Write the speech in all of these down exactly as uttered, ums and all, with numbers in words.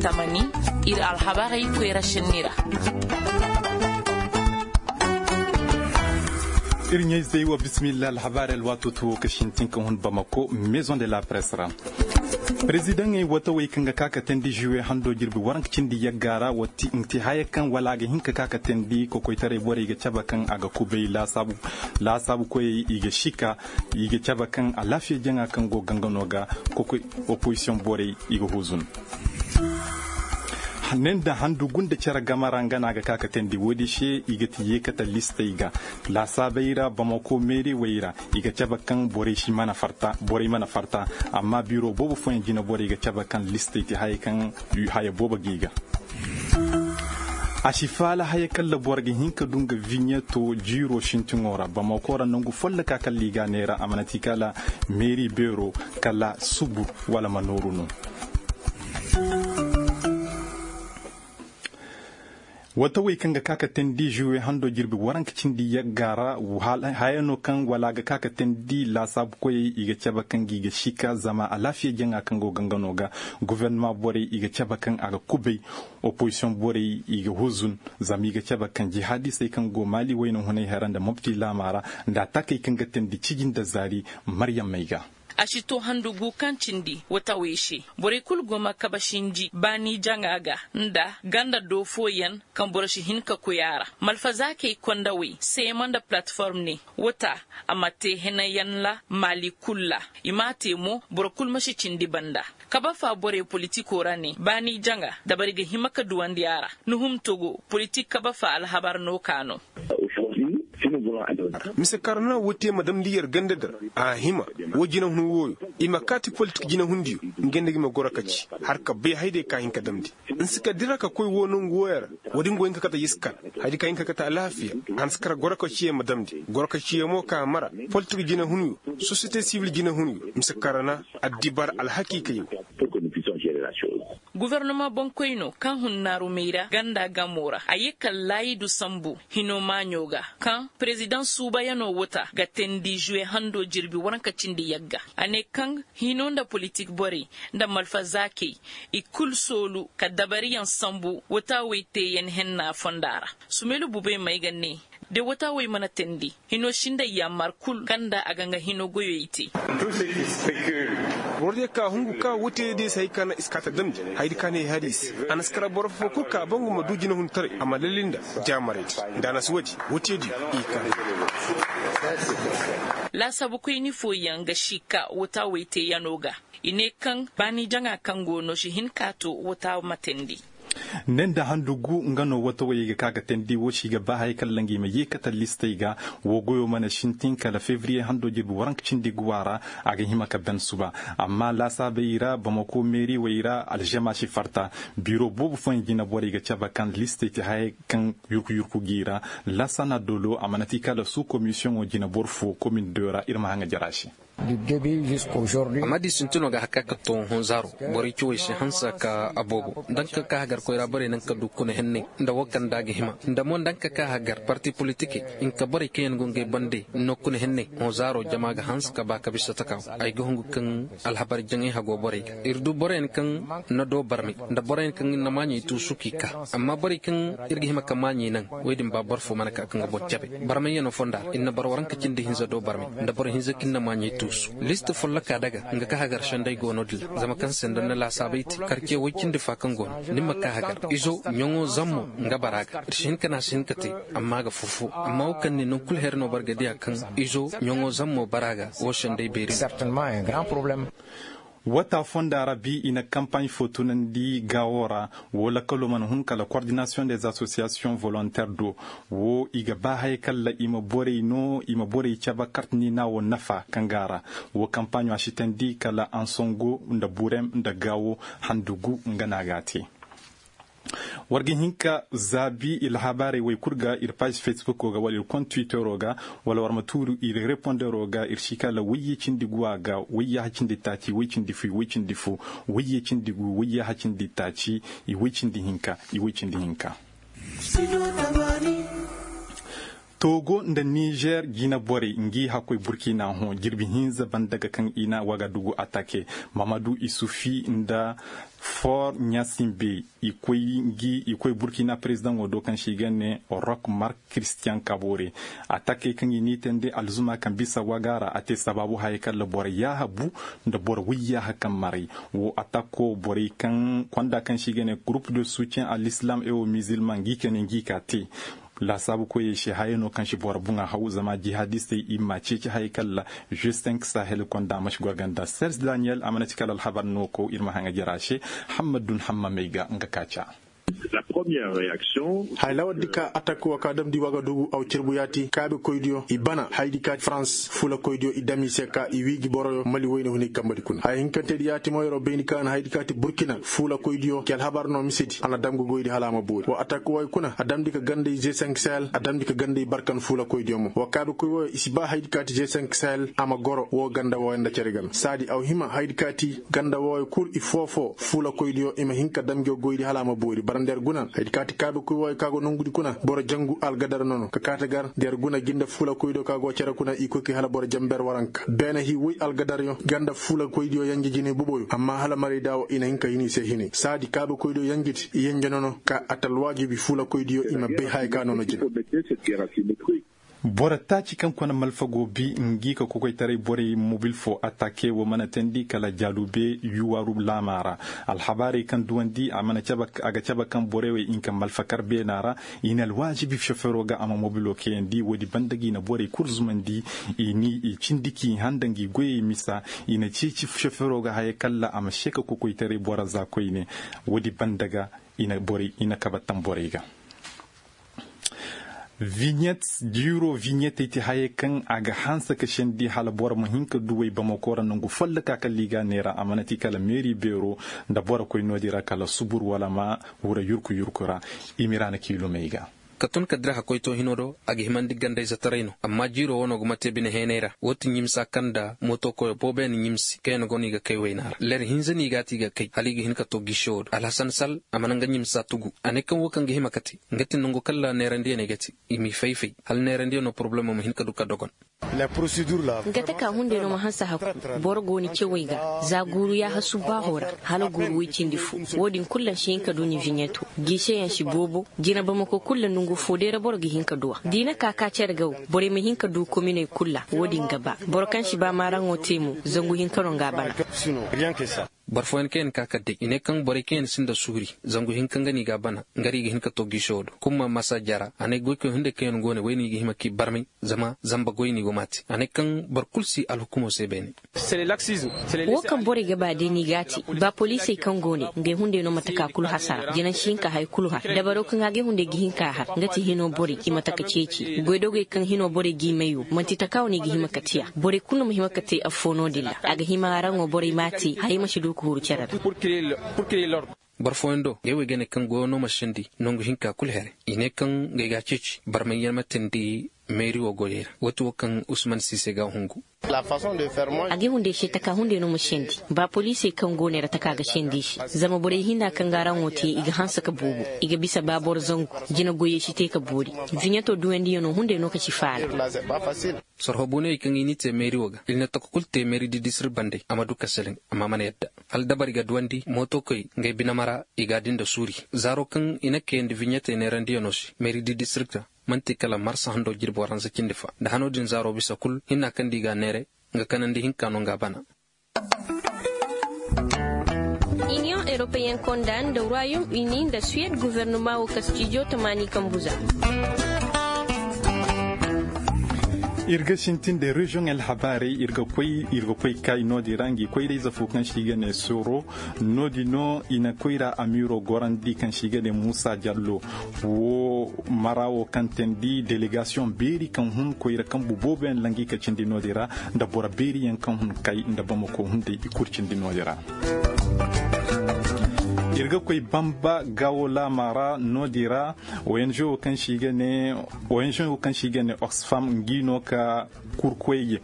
Tamani, ir alhabarey koyra šenni ra. Ir ɲayzey wa bismillah alhabarey alwaatoo ti woo ka sintin ka hun bamako maison de la presse ra. Perezidaŋey watawey kaŋ ga ka ka teendi žuwe hando jirbi waranka cindi yagga ra wa ti nga ti haya kaŋ wala a ga hin ka ka ka teendi kokoytaray borey ga cabe kaŋ a ga kubay laasaabu koyey i ga sika. I ga cabe kaŋ alaafiya jaŋa kaŋ go gangano ga kokoy opozisiyoŋ borey i ga huzun. Ne nda handu gunda cere game ra nga no a ga ka ka teendi woodi se i ga ti yeekate listey ga laasaabey ra bamako meeriwey ra. I ga cabe kaŋ borey si mana farta borey mana farta. Amma biro boobo fooyaŋ jine borey ga cabe kaŋ listey ti haya kaŋ haya boobo g'i ga. A si faala haya kaŋ ra boro ga hin ka du nga viɲeto jiiro sintiŋo ra bamako ra nangu folloka kaŋ ra i ga a neera a mana ti kala meeri beero kala subur wala ma nooru no. Watawey kaŋ ga ka ka teendi žuwe hando jirbi waranka cindi yagga ra. Haya no kaŋ wala a ga ka ka teendi laasaabu koyey i ga cabe kaŋ gi ga sika zama alaafiya jaŋa kaŋ go gangano ga. Gofornama borey i ga cabe kaŋ a ga kubay. Opozisiyoŋ borey i ga huzun zama i ga cabe kaŋ jihaadisey kaŋ go maali wayna hunay hara nda mopti laama ra nda a taakey kaŋ ga teendi ciji nda zaari. Maryammey ga. A si to handu gu kaŋ cindi watawey se borey kul go ma kabe sinji baani jaŋa ga nda ganda do fooyaŋ kaŋ boro si hin ka koy a ra. Malfazaakey kondawey seema nda palatiform ne wata a ma te henayaŋ ra maali kul ra. I m'a te mo boro kul ma si cindi banda. Kabe fa borey politikoo ra ne baani jaŋa dabari ga hima ka duwandi a ra. Nuhum togo politik kabe fa alhabar no ka no. Mise kaŋ ra na woo te ma damndi yer ganda di ra a hima. Woo jinehun wooyo i ma kaati politik jinehundiyo. Nga nda gi ma goro ka ci har ka bay hayday ka hin ka damndi. Nsi ka dira ka koy woo nongu wooyo ra. Woodin go hin ka kate yiskan haydi ka hin ka kate alaafiya. A na si kar goro ka ciye ma damndi goro ka ciye mo ka mara politik jinehunyo sosiyete sibil jinehunyo mise kaŋ ra na addibar alhakiikayo. Gofornama boŋkoyno kaŋ hun naarumey ra ganda gamo ra a ye kala laayidu sambu hino maaɲo ga kaŋ perezidaŋ suubayanoo wata ga teendi žuwe hando jirbi waranka cindi yagga. A ne kaŋ hino nda politik borey nda malfazaakey i kul soolu ka dabariyaŋ sambu wata wey teeyaŋ henna fonda ra. Sumelu bubey may ga ne de wata wey mana teendi hino sinday yaamar kul kaŋ nda a ga nga hino goyey te. Borodiyo ka hungu ka wote diyo se hay ka na i si ka ta damndi haydi ka na i hari i se. A na si kara boro foo kul ka bangu ma du jinehuntaray a ma lalli nda jaamaraydi. Nda a na si woodi wote diyo i ka. Laasaabukoyni fooyaŋ ga si ka wata wey teeyanoo ga. I ne kaŋ baani jaŋa kaŋ go no si hin ka to wata ma teendi. Ne nda handu gu nga no watawey ga ka ga teendi woo si ga ba haya kaŋ ra nga i ma yeekate listey ga. Woo goyoo mana sintin kala fevriye hando jirbi waranka cindi guwa ra. A ga hima ka ban suba. Amma laasaabey ra bamako meeriwey ra alžama si farta. Biro boobo fooyaŋ jinaborey ga cabe kaŋ listey ti haya kaŋ yurku yurku g'i ra. Laasana dolo a mana ti kala suu komisiyoŋo jinaboro foo komin do ra ir ma haŋa jara se. Amma da i sintinoo ga har ka ka to honzaaro borey cawey si hanse ka a boobo nda nga ka ka hagar koyra borey naŋ ka du kuna henney nda woo kaŋ nda a ga hima nda mo nda nga ka ka hagar parti politikey nga ka borey kaŋ yaŋ go ngey bande no kuna henney. Honzaaro jama ga hanse ka ba ka bisa taka ay ga hungu kaŋ alhabar jaŋay hago borey ga ir du boroyaŋ kaŋ na doo barmay nda boroyaŋ kaŋ na maaɲey tuusu k'i ka. Amma borey kaŋ ir ga hima ka maaɲey naŋ wey din ba boro foo mana ka kaŋ ga boro cabe barmayyanoo fonda ra ir na boro waranka cindi hinza doo barmay nda boro hinza kaŋ na maaɲey tuusu. List folloka daga nga ka hagar senday go no-din ra zama kaŋ se nda na laasaabay te karce woy cindi fa kaŋ go no ni ma ka hagar izo ɲaŋo zammo nga bara ga ir si hin ka ne a si hin ka te. Amma a ga fofo amma wo kaŋ ne naŋ kul her no boro ga diya kaŋ izo ɲaŋo zammo bara ga wo senday beeri no. Wata fonda ra bi i na kampaaɲ fo tunandi gaawo ra. Woo lakkaloo mana hun kala kordinasiyoŋ des asosiyasiyoŋ volonter do. Woo i ga ba haya kalla i ma borey no i ma borey cabe kartini na woo nafa kaŋ ga a ra. Woo kampaaɲo a sitandi kala ansongo nda burem nda gaawo handu gu nga no a ga a te. War ga hin ka zaabi ir alhabaarey wey kul ga ir paaz fesbuko ga wala ir kont twittero ga wala war ma tuuru ir repondero ga ir si kala wayye cindi guwa ga wayye hacindi taaci way cindi fu way cindi fu wayye cindi gu wayye hacindi taaci. I way cindi hinka i way cindi hinka. Togo nda nizer jinaborey ngi hakkoy burkina hõ jirbi hinza banda ga kaŋ i na wagadugu atake, mamadu isufi nda for ɲasimbe. I koy burkina perezidaŋo do kaŋ se i ga ne rok mark kristiyan kabore. Atake kaŋ i n'i tende alzuma kaŋ bisa waga ra a te sabaabu haya kalla boro yaaha bu nda boro woy yaaha kaŋ maray. Wo atako borey kaŋ konda kaŋ se i ga ne gurup de sutiyen a l'islam ewo mizilman ngi kane ngi ka te. Laasaabu koyey se haya no kaŋ si boro buŋa haw zama jihadistey i ma ceeci haya kalla. Justin sahel konda a ma si gorganda sers daniyel a mana ci kala alhabar no kaw ir ma haŋa jara se. Hammad dun hammamey ga nga ka ca. Haya lawar di ka atak wo ka damndi wagadugu aw cerbu yaati kaabe koydiyo i bana haydi ka farans fuula koydiyo i dam i se ka i wiiji boroyo mali woyne huni kambadi kuna haya hinkantedi yaati mo yeroo bayndi ka na haydi ka ti burkina fuula koydiyo ci alhabar no misedi a na dam ga goydi hala a ma boori wa atak woy kuna a damndi ka ganda i zesank sahel a damndi ka ganda i barkan fuula koydiyo mo wa kaabe koy woyo i si ba haydi ka ti zesank sahel a ma goro wo ganda woyo nda cere game saadi aw hima haydi ka ti ganda woyo kul i foofoo fuula koydiyo i ma hin ka dam ga goydi hala a ma boori bara nda yer guna haydi ka ti kaabe koy woyo ka go nongudi kuna boro jangu algadar nono ka kaate gar nda yer guna gi nda fuula koydiyo ka go cere kuna i koy kay hala boro jamber waranka beene hii woy algadaryo ganda fuula koydiyo yanje jinay boboyo amma hala marayda wo i na hin ka hin i se hinay saadi kaabe koydiyo yanjedi i yanje nono ka atal waajibi fuula koydiyo i ma bay haya ka nono jina. Boro taaci kaŋ kona malfago bi ngi ka kokoytaray borey mobil fo atake wo mana teendi kala jaalube yuwaaru laamaa ra. Alhabaarey kaŋ duwandi a ga cabe kaŋ borey wey hinka malfakar beenaa ra. I na alwaazibi sofeeroo ga a ma mobilo kayandi woodi banda ga i na borey kul zumandi. I cindi k'i handa ngi goyey misa. I na ceeci sofeeroo ga haya kalla a ma seeka kokoytaray boro za koyne. Woodi banda ga i na kabe tamborey ga. Viɲet jiiroo viɲetey ti hayey kaŋ a ga hanse ka sendi hala boro ma hin ka du wey bamako ra nangu folloka kala i ga a neera a mana ti kala meeri beeroo nda boro koy no-din ra kala subur wala ma wura yurku yurku ra. I ma i ra na kiilumey ga. Ka tun ka dira hakkoytoo hinoo do a ga himandi gandayzetaray no amma jiiroo wanoo go ma te bine heenay ra woo ti ɲimsa kaŋ nda mooto koyoo booboyaŋ na ɲimsi kaŋ yaŋ go no i ga kay waynaa ra leer hinza no i ga a ti i ga kay hala i ga hin ka too giisewoo do alhasan sal a mana nga ɲimsa tugu a ne kaŋ woo kaŋ ga hima ka te nga ti nangu kaŋ ra neerandiyaney ga te. I m'i fay-fay hala neerandiyanoo porobulemoo ma hin ka du ka dogon. Nga taka hunday no ma hanse hakku. Boro go ni cewey ga za guuru yaaha subbaaho ra hala guuru woy cindi fo. Wo-din kulu a si hin ka du ni viɲeto. Giiseyaŋ si boobo. Jina bamako kulu ra nongu fo day ra boro ga hin ka du a da i na ka ka cere ga wo. Borey ma hin ka du kominey kulu ra wo-din ga ba. Boro kaŋ si ba maaraŋo te mo zangu hinka no nga a bana. Boro fooyaŋ kaŋ yaŋ ka ka day i ne kaŋ borey kaŋ yaŋ sinda suuri zangu hinka nga no i ga a bana. Nga ra i ga hin ka to giiso do kumma masa jara a ne goykoy hunday kaŋ yaŋ go ne way no i ga hima k'i barmay. Zama zamba goy no i go m'a te a ne kaŋ boro kulu si alhukumo se beene. Wo kaŋ borey ga ba day no i g'a te. Ba poliisey kaŋ go ne ngey hunday no ma taka kulu hasara jina si hin ka haya kulu har dabaro kaŋ a ga hunday ga hin ka har nga ti hino borey i ma taka ceeci goydogey kaŋ hino borey g'i may wo man'ti taka wane i ga hima ka te a borey kulu no ma hima ka te affoo no-din ra a ga hima araŋo borey m'a te hayey ma si du ka huru cere ra. Boro fooyaŋ do ngey wo i ga ne kaŋ goyo no ma sendi nangu hinka kulu here i ne kaŋ ngey g'a ceeci barmay yaŋ ma teendi meeri wo goyey ra waati wo kaŋ usman siise g'a hungu. A ga hunday se taka hunday no ma sendi ba poliisey kaŋ go ne ra taka ga sendi i se. Zama borey hinna kaŋ ga araŋo te i ga hanse ka boobo i ga bisa ba boro zangu. Jina goyey si te ka boori. Viɲeto duwandiyano hunday no ka si faala. Sorho booney kaŋ i n'i te meeri wo ga i na taka kulu te meeri di disirik bandey a ma du ka seleŋ. Amma a mana yadda hala dabari ga duwandi mootokoy ngey binama ra. I g'a di nda suuri zaaro kaŋ i na kayandi viɲetey neerandiyano se meeri di disirik ra. Man'ti kala marsa hando jirbi waransa cindi fa nda hano din zaaro bisa kul hinna kaŋ di g'a neere. Nga kanandi hinka no nga bana. Iniyoŋ eropeyen konda nda ruwayom ini nda suwed guvernuma wo kastijo tamaani kambu za. Ir ga sintin nda reziyoŋ alhabaarey ir ga koy kay no-din ra ngi koyra-ize fo kaŋ se i ga ne soro. No-din no i na koyra amiiro gorandi kaŋ se i ga ne muusa jallo. Wo mara wo kaŋ teendi delegasiyoŋ beeri kaŋ hun koyra kambu booboyaŋ langi ka cindi no-din ra nda boro beeriyaŋ kaŋ hun kay nda bamako hunday i kulu cindi no-din ra. Ir ga koy bamba gaawo laama ra no-din ra. Ong wo kaŋ se i ga ne ong wo kaŋ se i ga ne oxfam ngi no ka kurkoyyaŋ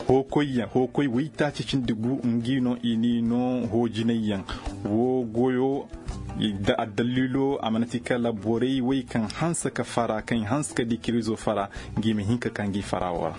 hookoyyaŋ hookoy woytaaci cindi gu ngi no i n'i no hoojinayyaŋ. Wo goyo Addalliilo a mana ti kala borey wey kaŋ hanse ka fara kaŋ i hanse ka di kirizo fara, ngi ma hin ka ka ngi fara woo ra.